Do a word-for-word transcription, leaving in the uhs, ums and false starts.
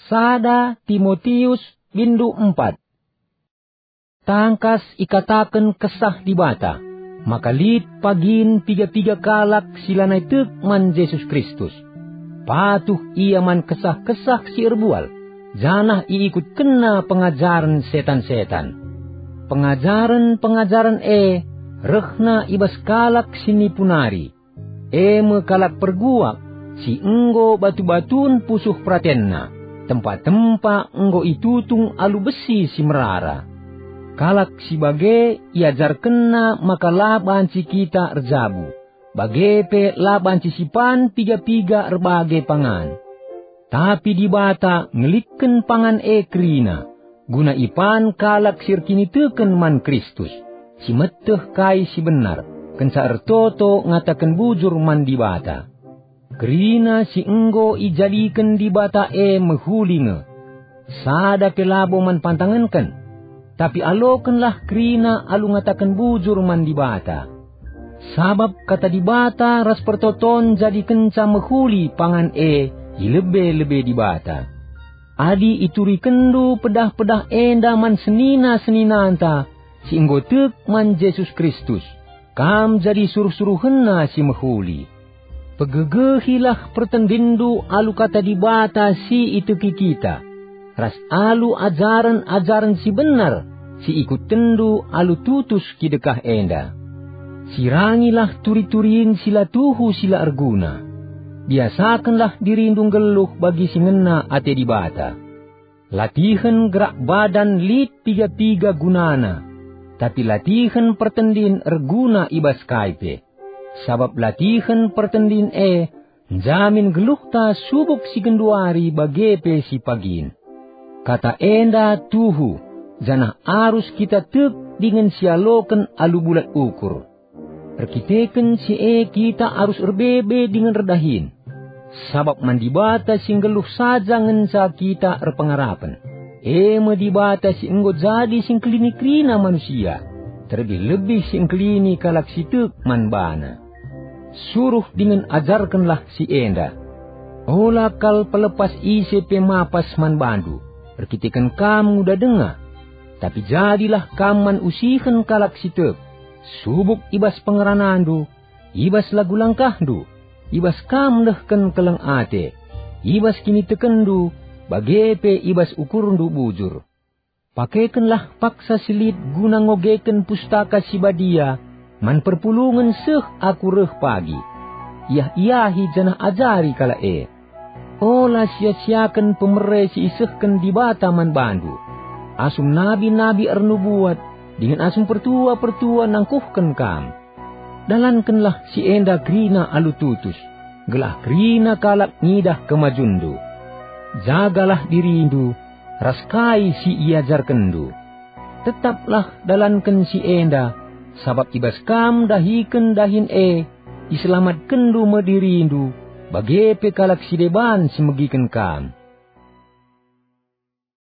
Sada Timotius, bindu empat. Tangkas ikataken Kesah Dibata, maka lit pagin piga-piga kalak si lanai tek man Jesus Kristus. Patuh ia man kesah-kesah si erbual, janah iikutkenna pengajaren setan-setan. Pengajaren-pengajaren e rehna i bas kalak si nipu nari, e me kalak perguak, si enggo batu-batun pusuh peratenna, tempa-tempa enggo itutung alu besi si merara. Kalak si bage iajarkenna maka la banci kita erjabu, bage pe la banci sipan piga-piga erbage pangan. Tapi Dibata ngelikken pangan e kerina, guna ipan kalak si erkiniteken man Kristus, si meteh kai si benar, kenca ertoto ngataken bujur man Dibata. Kerina si enggo ijadiken Dibata e mehuli nge. Sada pe labo man pantangenken, tapi alokenlah kerina alu ngataken bujur man Dibata. Sabap kata Dibata ras pertoton jadikenca mehuli pangan e i lebe-lebe Dibata. Adi iturikenndu pedah-pedah enda man senina-seninanta si enggo tek man Jesus Kristus, kam jadi suruh-suruhenNa si mehuli. Pegegehilah pertendinndu alu kata Dibata si iteki kita, ras alu ajaren-ajaren si benar si ikutenndu alu tutus kidekah enda. Sirangilah turi-turin si la tuhu si la erguna. Biasakenlah dirindu nggeluh bagi si ngena ate Dibata. Latihen gerak badan lit piga-piga gunana, tapi latihen pertendin erguna i bas kai pe. Sabap latihen pertendin e njamin geluhta subuk si genduari bage pe si pagin. Kata enda tuhu, janah arus kita tek dingen sialoken alu bulat ukur. Erkiteken si e kita arus erbebe dingen erdahin. Sabap man Dibata si nggeluh saja ngenca kita erpengarapen. E me Dibata si enggo jadi si ngkelini kerina manusia, terlebih-lebih si ngkelini kalak si tek man baNa. Suruh dingen ajarkenlah si enda. Ola kal pelepas ise pe mapas man bandu, erkiteken kam nguda denga. Tapi jadilah kam man usihen kalak si tek, subuk i bas pengeranandu, i bas lagu langkahndu, i bas kam nehken keleng ate, i bas kinitekenndu, bage pe i bas ukurndu bujur. Pakekenlah paksa si lit guna ngogeken Pustaka Si Badia man perpulungen seh aku reh pagi. Iah-iahi janah ajari kalak e. Ola sia-siaken pemere si isehken Dibata man bandu, asum nabi-nabi ernubuat dingen asum pertua-pertua nangkuhken kam. Dalankenlah si enda kerina alu tutus, gelah kerina kalak ngidah kemajunndu. Jagalah dirindu ras kai si iajarkenndu. Tetaplah dalanken si enda, sabap i bas kam ndahiken dahin e, iselamatkenndu me dirindu, bage pe kalak si deban si megiken kam.